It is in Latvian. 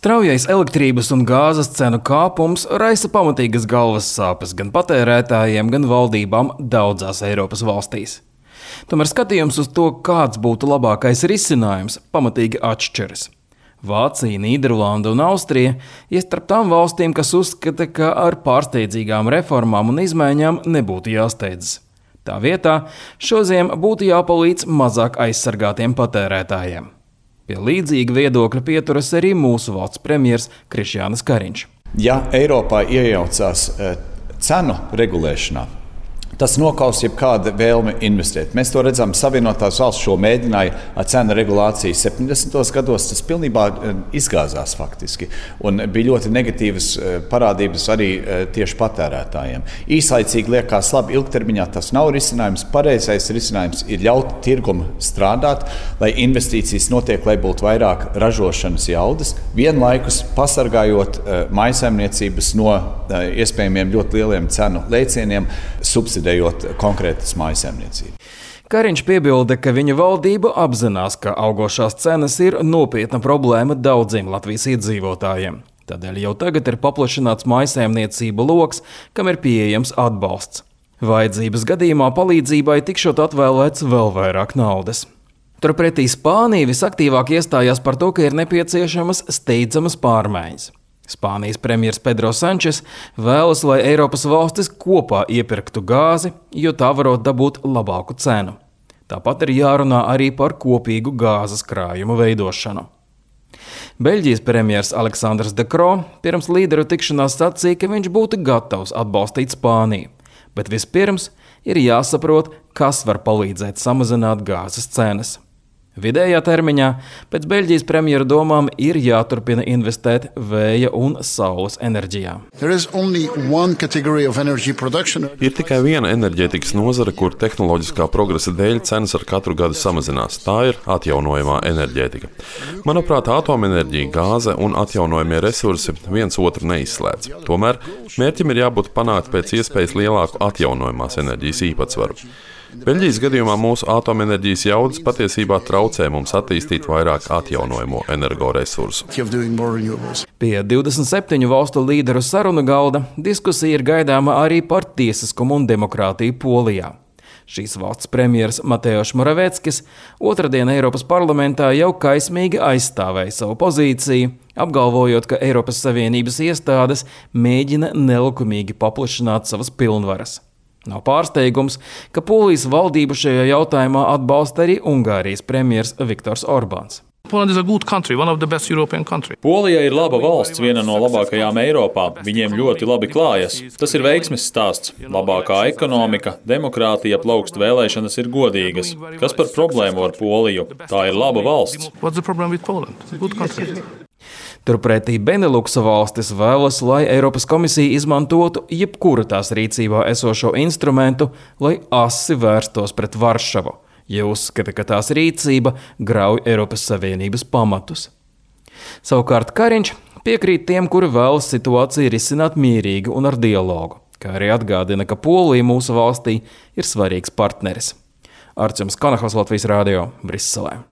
Straujais elektrības un gāzes cenu kāpums raisa pamatīgas galvas sāpes gan patērētājiem, gan valdībām daudzās Eiropas valstīs. Tomēr skatījums uz to, kāds būtu labākais risinājums, pamatīgi atšķiras. Vācija, Nīderlanda un Austrija ir starp tām valstīm, kas uzskata, ka ar pārsteidzīgām reformām un izmaiņām nebūtu jāsteidzas. Tā vietā šodien būtu jāpalīdz mazāk aizsargātiem patērētājiem. Pie līdzīga viedokļa pieturas arī mūsu valsts premjers Krišjānis Kariņš. Ja Eiropā iejaucās cenu regulēšanā, tas nokaus jebkāda vēlme investēt. Mēs to redzam, Savienotās valsts šo mēģināja ar cenu regulāciju 70. gados. Tas pilnībā izgāzās faktiski. Un bija ļoti negatīvas parādības arī tieši patērētājiem. Īslaicīgi liekas labi, ilgtermiņā tas nav risinājums. Pareizais risinājums ir ļaut tirgumu strādāt, lai investīcijas notiek, lai būtu vairāk ražošanas jaudas, vienlaikus pasargājot mājsaimniecības no iespējamiem ļoti lieliem cenu lēcieniem, subsidējot konkrētas mājsaimniecības. Kariņš piebilda, ka viņa valdība apzinās, ka augošās cenas ir nopietna problēma daudziem Latvijas iedzīvotājiem. Tādēļ jau tagad ir paplašināts mājsaimniecību loks, kam ir pieejams atbalsts. Vajadzības gadījumā palīdzībai tikšot atvēlēts vēl vairāk naudas. Turpretī Spānija visaktīvāk iestājās par to, ka ir nepieciešamas steidzamas pārmaiņas. Spānijas premjers Pedro Sančes vēlas, lai Eiropas valstis kopā iepirktu gāzi, jo tā varot dabūt labāku cenu. Tāpat ir jārunā arī par kopīgu gāzes krājumu veidošanu. Beļģijas premjers Aleksandrs De Croo pirms līderu tikšanās sacīja, ka viņš būtu gatavs atbalstīt Spāniju, bet vispirms ir jāsaprot, kas var palīdzēt samazināt gāzes cenas. Vidējā termiņā pēc Beļģijas premjera domām ir jāturpina investēt vēja un saules enerģijā. Ir tikai viena enerģētikas nozare, kur tehnoloģiskā progresa dēļ cenas ar katru gadu samazinās. Tā ir atjaunojamā enerģētika. Manuprāt, atomenerģija, gāze un atjaunojamie resursi viens otru neizslēdz. Tomēr mērķim ir jābūt panākt pēc iespējas lielāku atjaunojamās enerģijas īpatsvaru. Beļģijas gadījumā mūsu atomenerģijas jaudas patiesībā traucē mums attīstīt vairāk atjaunojamo energoresursu. Pie 27 valstu līderu sarunu galda diskusija ir gaidāma arī par tiesiskumu un demokrātiju Polijā. Šīs valsts premjers Mateusz Moraveckis otrdien Eiropas parlamentā jau kaismīgi aizstāvēja savu pozīciju, apgalvojot, ka Eiropas Savienības iestādes mēģina nelikumīgi paplašināt savas pilnvaras. Nav pārsteigums, ka Polijas valdību šajā jautājumā atbalsta arī Ungārijas premjers Viktors Orbāns. Polija ir laba valsts, viena no labākajām Eiropā. Viņiem ļoti labi klājas. Tas ir veiksmes stāsts. Labākā ekonomika, demokrātija, plaukst vēlēšanas ir godīgas. Kas par problēmu ar Poliju? Tā ir laba valsts. Turpretī Beneluksa valstis vēlas, lai Eiropas komisija izmantotu jebkuru tās rīcībā esošo instrumentu, lai asi vērstos pret Varšavu, ja uzskata, ka tās rīcība grauj Eiropas Savienības pamatus. Savukārt Kariņš piekrīt tiem, kuri vēlas situāciju risināt mierīgi un ar dialogu, kā arī atgādina, ka Polija mūsu valstī ir svarīgs partneris. Arčuns Kanahos, Latvijas radio, Briselē.